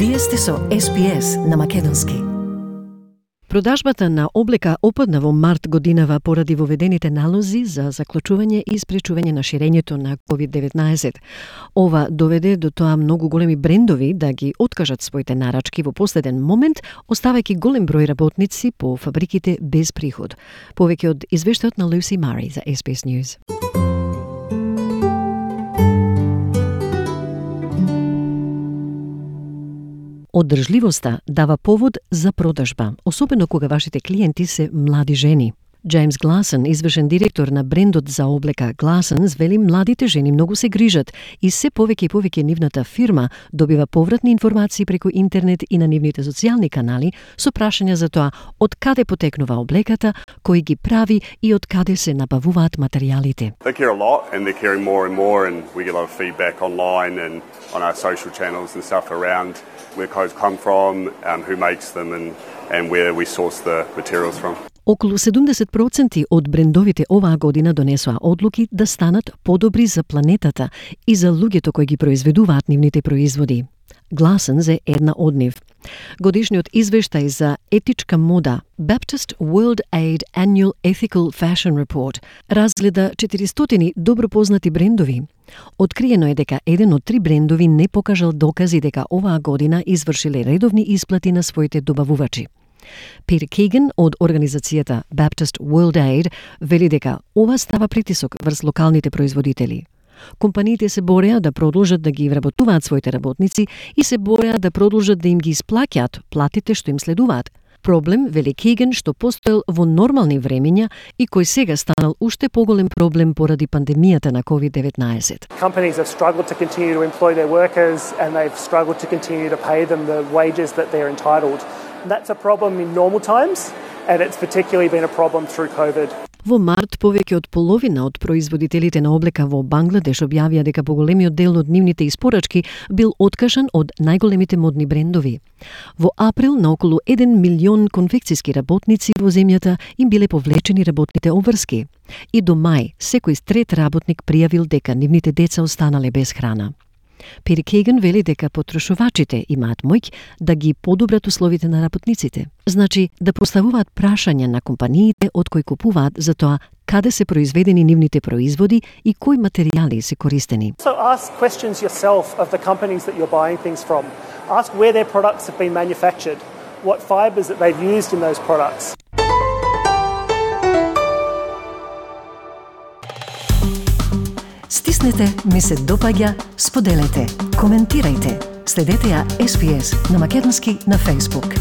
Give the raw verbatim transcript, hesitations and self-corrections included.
Вие сте со Ес Би Ес на македонски. Продажбата на облека опадна во март годинава поради воведените налози за заклучување и спречување на ширењето на ковид деветнаесет. Ова доведе до тоа многу големи брендови да ги откажат своите нарачки во последен момент, оставајќи голем број работници по фабриките без приход. Повеќе од извештајот на Lucy Murray за Ес Би Ес News. Одржливоста дава повод за продажба, особено кога вашите клиенти се млади жени. Джеймс Гласон, извршен директор на брендот за облека Glassons, вели младите жени многу се грижат и се повеќе и повеќе нивната фирма добива повратни информации преку интернет и на нивните социјални канали со прашања за тоа од каде потекнува облеката, кој ги прави и од каде се набавуваат материјалите. They care a lot and they're caring more and more, and we get a lot of feedback online and on our social channels and stuff around where clothes come from, um, who makes them and, and where we source the materials from. Околу седумдесет проценти од брендовите оваа година донесоа одлуки да станат подобри за планетата и за луѓето кои ги произведуваат нивните производи. Glassons е една од нив. Годишниот извештај за етичка мода Baptist World Aid Annual Ethical Fashion Report разгледа четиристотини добро познати брендови. Откриено е дека еден од три брендови не покажал докази дека оваа година извршиле редовни исплати на своите добавувачи. Пир Кейган од организацијата Baptist World Aid вели дека ова става притисок врз локалните производители. Компаниите се бореа да продолжат да ги вработуваат своите работници и се бореа да продолжат да им ги исплаќаат платите што им следуваат. Проблем, вели Кейган, што постоел во нормални времења и кој сега станал уште поголем проблем поради пандемијата на ковид деветнаесет. Companies have struggled to continue to employ their workers and they've struggled to continue to pay them the wages that they're entitled. That's a problem in normal times, and it's particularly been a problem through COVID. Во март повеќе од половина од производителите на облека во Бангладеш објавија дека поголемиот дел од нивните испорачки бил откажан од најголемите модни брендови. Во април на околу еден милион конфекцијски работници во земјата им биле повлечени работните обврски. И до мај секој трет работник пријавил дека нивните деца останале без храна. Пир Кейган вели дека потрошувачите имаат моќ да ги подобрат условите на работниците. Значи, да поставуваат прашања на компаниите од кои купуваат за тоа каде се произведени нивните производи и кои материјали се користени. So ask questions yourself of the companies that you're buying things from. Ask where their products have been manufactured, what fibers that they've used in those products. Стиснете, ми се допаѓа, споделете, коментирајте. Следете ја Ес Би Ес на македонски на Facebook.